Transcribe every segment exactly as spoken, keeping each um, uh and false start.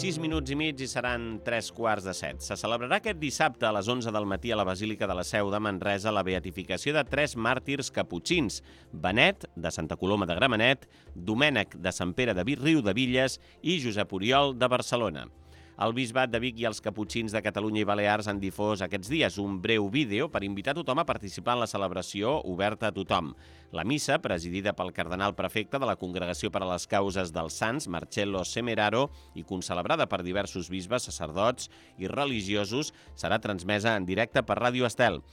sis minuts i mig i seran tres quarts de set. Se celebrarà aquest dissabte a les onze del matí a la Basílica de la Seu de Manresa la beatificació de tres màrtirs caputxins: Benet, de Santa Coloma de Gramenet, Domènec, de Sant Pere de Riudebitlles i Josep Oriol, de Barcelona. El Bisbat de Vic i els Caputxins de Catalunya i Balears han difós aquests dies un breu vídeo per invitar tothom a participar en la celebració oberta a tothom. La missa, presidida pel cardenal prefecte de la Congregació per a les Causes dels Sants, Marcello Semeraro, i concelebrada per diversos bisbes, sacerdots i religiosos, serà transmesa en directe per Ràdio Estel.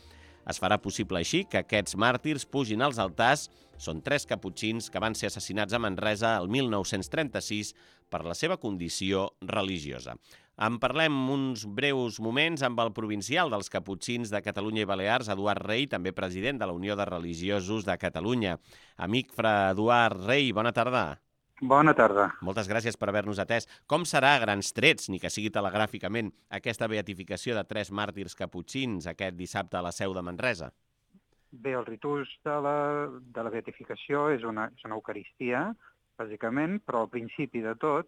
Es farà possible així que aquests màrtirs pugin als altars. Són tres caputxins que van ser assassinats a Manresa el mil nou-cents trenta-sis per la seva condició religiosa. En parlem uns breus moments amb el provincial dels Caputxins de Catalunya i Balears, Eduard Rey, també president de la Unió de Religiosos de Catalunya. Amic fra Eduard Rey, bona tarda. Bona tarda. Moltes gràcies per haver-nos atès. Com serà a grans trets, ni que sigui telegràficament, aquesta beatificació de tres màrtirs caputxins aquest dissabte a la Seu de Manresa? Bé, el ritus de la, de la beatificació és una, és una eucaristia, bàsicament, però al principi de tot,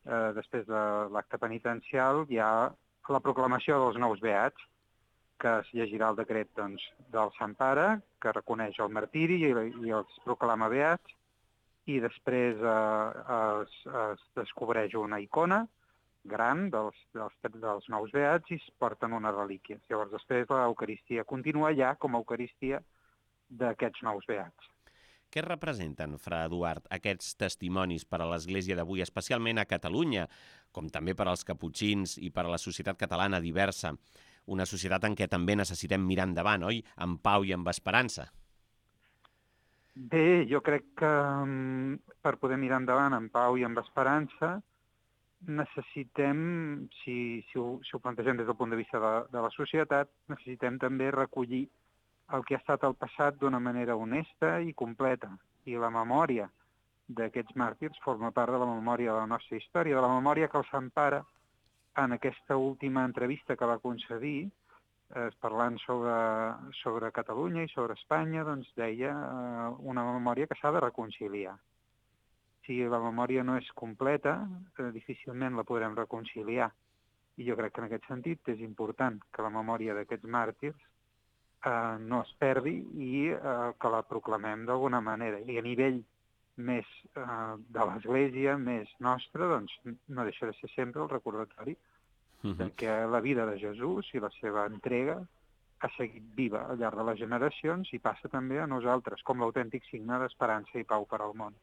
eh, després de l'acte penitencial, hi ha la proclamació dels nous beats, que es llegirà el decret doncs, del Sant Pare, que reconeix el martiri i, i els proclama beats, i després eh, es, es descobreix una icona gran dels, dels, dels nous beats i es porten unes relíquies. Llavors, després l'Eucaristia continua ja com a Eucaristia d'aquests nous beats. Què representen, fra Eduard, aquests testimonis per a l'Església d'avui, especialment a Catalunya, com també per als caputxins i per a la societat catalana diversa? Una societat en què també necessitem mirar endavant, oi? Amb pau i amb esperança. Bé, jo crec que um, per poder mirar endavant amb pau i amb esperança necessitem, si, si, ho, si ho plantegem des del punt de vista de, de la societat, necessitem també recollir el que ha estat el passat d'una manera honesta i completa. I la memòria d'aquests màrtirs forma part de la memòria de la nostra història, de la memòria que el Sant Pare, en aquesta última entrevista que va concedir, eh, parlant sobre, sobre Catalunya i sobre Espanya, doncs deia eh, una memòria que s'ha de reconciliar. Si la memòria no és completa, eh, difícilment la podrem reconciliar. I jo crec que en aquest sentit és important que la memòria d'aquests màrtirs eh, no es perdi i eh, que la proclamem d'alguna manera. I a nivell més eh, de l'Església, més nostra, doncs no deixa de ser sempre el recordatori de que la vida de Jesús i la seva entrega ha seguit viva al llarg de les generacions i passa també a nosaltres, com l'autèntic signe d'esperança i pau per al món.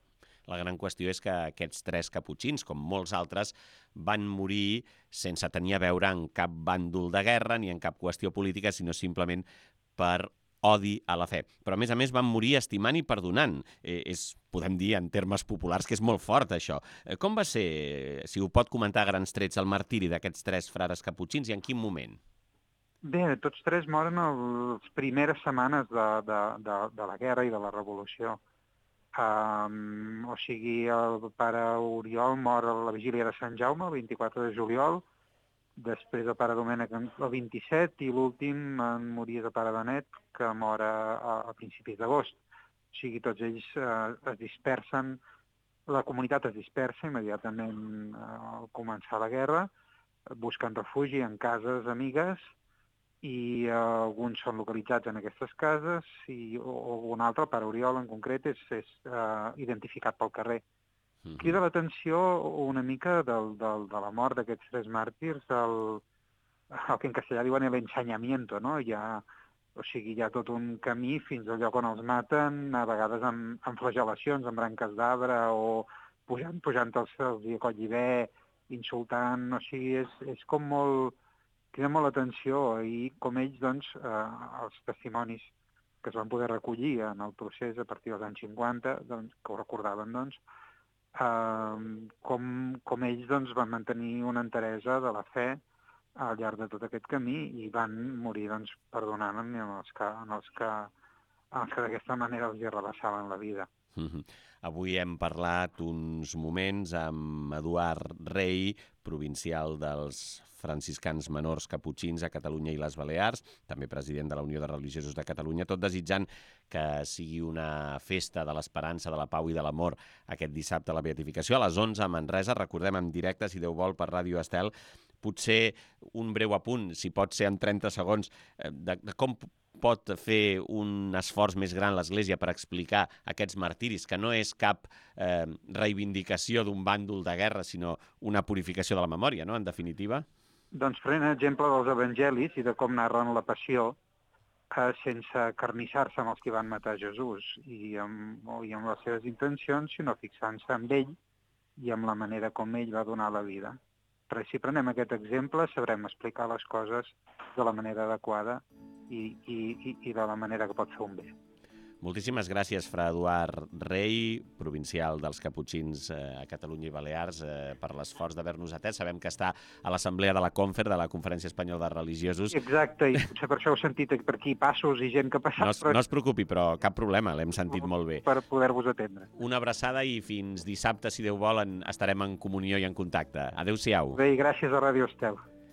La gran qüestió és que aquests tres caputxins, com molts altres, van morir sense tenir a veure en cap bàndol de guerra ni en cap qüestió política, sinó simplement per odi a la fe. Però, a més a més, van morir estimant i perdonant. Eh, és, podem dir, en termes populars, que és molt fort, això. Eh, com va ser, si ho pot comentar a grans trets, el martiri d'aquests tres frares caputxins i en quin moment? Bé, tots tres moren a les primeres setmanes de, de, de, de la guerra i de la revolució. Um, o sigui, el pare Oriol mor a la vigília de Sant Jaume, el vint-i-quatre de juliol, després el pare Domènec el vint-i-set i l'últim en morir el pare Benet, que mor a, a principis d'agost. O sigui, tots ells eh, es dispersen, la comunitat es dispersa immediatament eh, al començar la guerra, busquen refugi en cases amigues i eh, alguns són localitzats en aquestes cases i o, o un altre, el pare Oriol en concret, és, és eh, identificat pel carrer. Crida l'atenció una mica del, del, de la mort d'aquests tres màrtirs, el, el que en castellà diuen l'ensenyamiento, no? Hi ha, o sigui, hi ha tot un camí fins al lloc on els maten, a vegades amb, amb flagel·lacions, amb branques d'arbre o pujant, pujant els cels i a collibè, insultant, o sigui, és, és com molt... crida molt l'atenció i com ells, doncs, eh, els testimonis que es van poder recollir en el procés a partir dels anys cinquanta, doncs, que ho recordaven, doncs, Uh, com, com ells doncs, van mantenir una enteresa de la fe al llarg de tot aquest camí i van morir doncs, perdonant en els que, en els que, en els que d'aquesta manera els hi arrabassaven la vida. Mm-hmm. Avui hem parlat uns moments amb Eduard Rei, provincial dels franciscans menors caputxins a Catalunya i les Balears, també president de la Unió de Religiosos de Catalunya, tot desitjant que sigui una festa de l'esperança, de la pau i de l'amor aquest dissabte a la beatificació. A les onze a Manresa, recordem en directe, si Déu vol, per Ràdio Estel, potser un breu apunt, si pot ser en trenta segons, de, de com pot fer un esforç més gran l'Església per explicar aquests martiris, que no és cap eh, reivindicació d'un bàndol de guerra, sinó una purificació de la memòria, no?, en definitiva? Doncs prenent exemple dels evangelis i de com narren la passió eh, sense carnissar-se amb els que van matar Jesús i amb, i amb les seves intencions, sinó fixant-se en ell i amb la manera com ell va donar la vida. Però si prenem aquest exemple, sabrem explicar les coses de la manera adequada i, i, i de la manera que pot fer un bé. Moltíssimes gràcies, fra Eduard Rei, provincial dels Caputxins eh, a Catalunya i Balears, eh, per l'esforç d'haver-nos atès. Sabem que està a l'assemblea de la Confer, de la Conferència Espanyola de Religiosos. Exacte, i potser per això heu sentit per aquí passos i gent que ha passat. No es, però... no es preocupi, però cap problema, l'hem sentit molt bé. Per poder-vos atendre. Una abraçada i fins dissabte, si Déu vol, en, estarem en comunió i en contacte. Adéu-siau. Bé, i gràcies a Ràdio Estel.